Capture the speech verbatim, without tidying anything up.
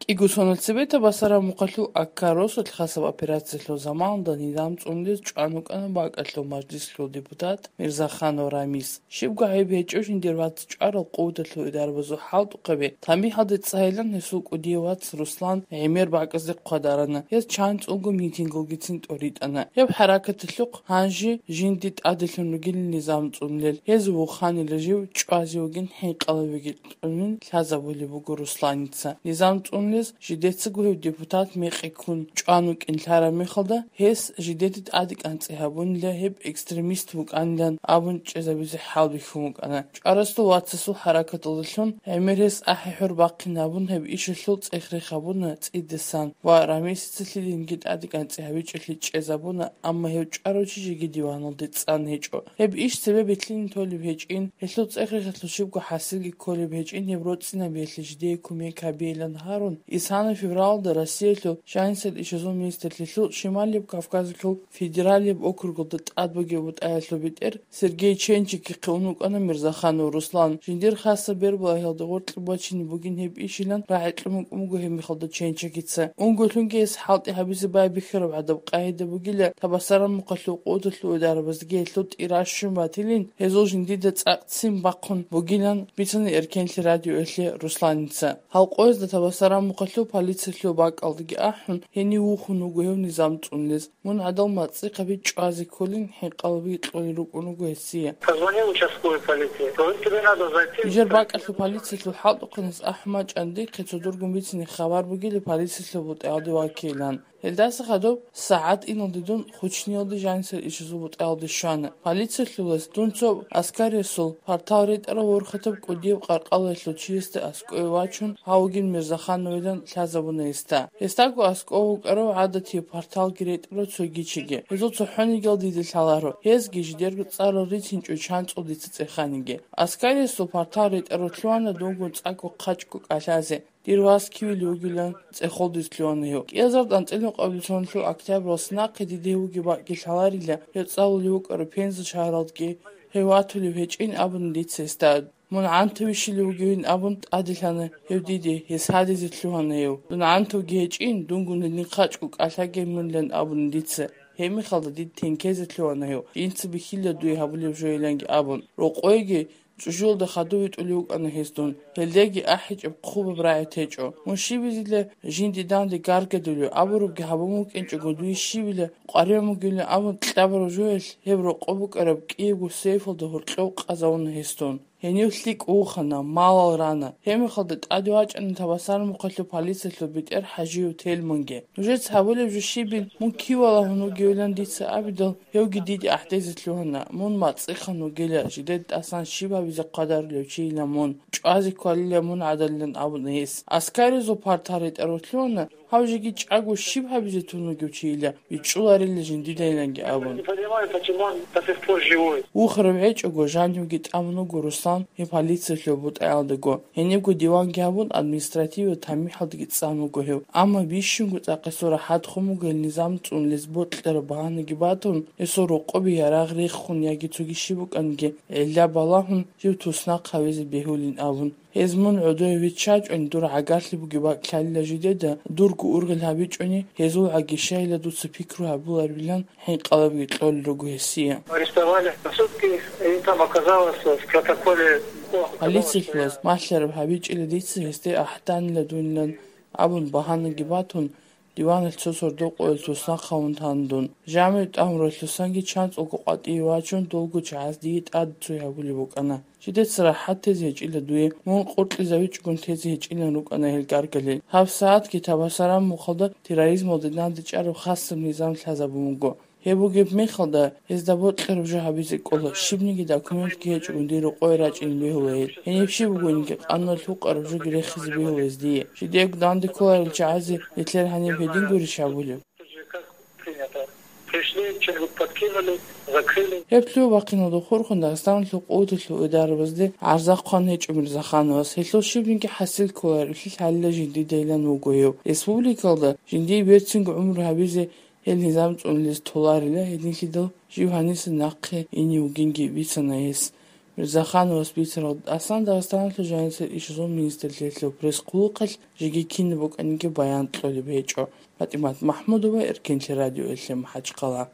კიგუსონოცებეთ ბასარა მუხალუ აკაროს ოთხასავ ოპერაციялო ზამანდა ნიდამ წუნდეს ჭანუკანა ბაკალო მაჯლისლო დეპუტატ მირზახანო რამის შევგაები ეჭოშინდერვაც ჭარო ყუდათლო დარბაზო ჰალტუყები თამი ჰადე წაილან ესულ ყუდიევაც რუსლან ემერ ბაკაზე ყადარანა ეს ჩანც უგუ მიტინგო გიცინ ტორიტანა ებ ჰარაკათლუყ ჰანჟი ჟინდით ადელუნუგილ ნიზამ წუნლელ ეს უხანი რეჟივ ჭვაზიოგინ ჰეყალევიგი წუნინ ლაზავული ბუგუ რუსლანიცა ნიზამ ჟიდეცგუ დეპუტატ მეყიქუნ ჭანუკინ ლარა მიხალდა ეს ჟიდეთით ადიკანწეაბუნ ლეჰებ ექსტრემისტ უკანიდან აბუნ ჭეზაბიზე ჰალბი ხუმუკანა ჭარასტო ვაცსუ ჰარაკატულშუნ ემერეს აჰჰურ ბაყინაბუნ ჰებ იშილუ წეხრეხაბუნ წიდესან ვა რამის ცილინ გიტ ადიკანწეაბი ჭელი ჭეზაბუნ ამა ჰებ ჭაროჩი ჟიგიდივანოლდე წანეჭო ჰებ იშ ცებებითლინ თოლი ვეჭინ ესლუ წეხრეხათლუ შიგუ ჰასილგი ქოლი ვეჭინ ჰებ როცინა ბეშლი ჟიდე კუმეკაბიელან Исана февралда Россиялу шансел ишозон министрлиглу Шималиев Кавказлу федералиев округда адбогебут айлубитер Сергей Ченчики қунукана Мирзахану Руслан Жиндер хаса бербла хелдогорт бачини бугин хеп ишилан раитлмук умгу хем михалда Ченчикица унгулунге с халти хабизи бай бихраб адаб қайда бугиле табасарам муқаллу қудлу дарбазге лут ирашшим батилин хезол жиндида цақцим бақун бугилан битсани эркенли радио элли Русланица халқоз да табасарам მუხალუ პოლიციელო ბაკალდი აჰუნ ჰენი უხუნუ გევნი ზამწუნლეს მონ ადალ მაწიყები ჭვაზი ქოლინ ჰეყალბი ყოლი რუკუნუ გესია позвони участковой полиции то тебе надо зайти ჟერ ბაკალუ პოლიციელო ჰალტუყნეს აჰმაჭანდი ხეცოდურგუმ ვიცინი ხაბარ ბუგილი პოლიციელო ბუტალდი ვაკილან Эльдаса хадоб саат инодидун хучниоди жансер ишизубут алди шана. Полициялес дунцо аскаресул партавритара ворхатаб кудиев қарқалеслу чиесте аскоевачун хаугин Мирзахановидан лазабунеста. Эстаку аскову каро адати партал гиретро цогичиге. Эзо цохони гелдиди саларо. Ез гиждергу царо ритинчу чанцо дицеханиге. Аскаресул партавритара тлуана дунгу цаку қачку калазе. Дирвас кивили угилан цехолдис тлуанео. Кезард антелен қаблисонлу октяброс нақиди деуги баки салариля. Яцаули укаро пенза шаралдги. Хеватули вечин абун лицестад. Мон антвишили угивин абун адилана хевдиди хесадизи тлуанео. Дун анту гечин дунгуни нихачку калаге мунлен абун лице. Хеми халда дид тенкезе тлуанео. Инци бихилля дуи хабулев жоиленги абун. Роқойги Жужулда хадуит улюк анахистун. Хелдеги ахич обхуба браятечо. Мушибизиле жиндиданди гаргедулю. Абуруб габамук энчо годуи шибиле. Қаремугиле абун тлабару жуэл. Хевро қобук араб киевгу сейфолда хуртлоу қазаун хистун. Хенюслик ухана, малал рана. Хеми халдат адуачан табасар муқаллу полициялу битер хажиу телмунге. Нужет хавулев жушибин мун кивала хуну геулан дица абидал. Хевги диди ахтезитлу хана. Мун мацихану геля. Жидет асан шиба бизе қадар левчиила мун. Чуази квалиле мун адалилен абунес. Аскаризу партарит эротлуна. Хавжиги чагу шибха бизе туну гевчиила. Бичуларили жиндидайленге абун. Не понимаю, почему он до сих пор живой. Ухрав эчого жанюгит амну гурус и полиция бут элдего. Енегу диван габун административу тамихалдги цамуго хев. Ама бишунгу цақасура хадхумуго низам цунлес ботлер баанги батун. Эсо роқоби ярагри хун яги цуги шибуканге. Элля балахун жив тусна қавизи бехулин абун. Хезмун удоевич чач он дур агасли бугиба калла жидеда дургу ургал хабич они хезул агишайла ду цпикру абулар билан хин қалаби тлол ругесия. Арестовали. Сутки и там оказалось в протоколе. Полиция машлер хабич или дицы хесте ахтан ладунлан абун баханы гибатун диван цосордо qo'yilsa qavuntandan jamiyat amro'lsangi chans o'qoqati vachun dolgu chaz dit ad tuyabuli bokana shidet sarahat tezej ila duye mon qurtli zavich gun tezej ila rukana hel gargale haf saat ki tabasaram muxalda terrorizm odidan dicharo khas nizam lazabumugo Хебугеб мехалда ездабот лервжа хабизи кола шибниги документ кеч ундиру қойрач ин бехулеет. Хенепши бугунги анна лук арвжу гирехизи бехулезди. Шидек данди кола рчази литлер ханем хедин гури шабулев. Пришли, что-нибудь подкинули, закрыли. Хеплю вакину до хорхун Дагестан лук одлу ударбазди арзақ хан хеч Мирзахановас. Хесло шибниги хасил кола рихил халла жинди дейлан угоев. Республикалда жинди бертсинг умру хабизи El nizam ts'unlis tolarila hedinlidal Jivhanis naqe ini ugingi vitsanayes Мирзаханова спицерот Асан Дагъстанлы жанисер ишизон министрлиетле пресс кулукал жигекин буканиге баян тлоли бечо Фатимат Махмудова Эркинчи радио элле Махачкала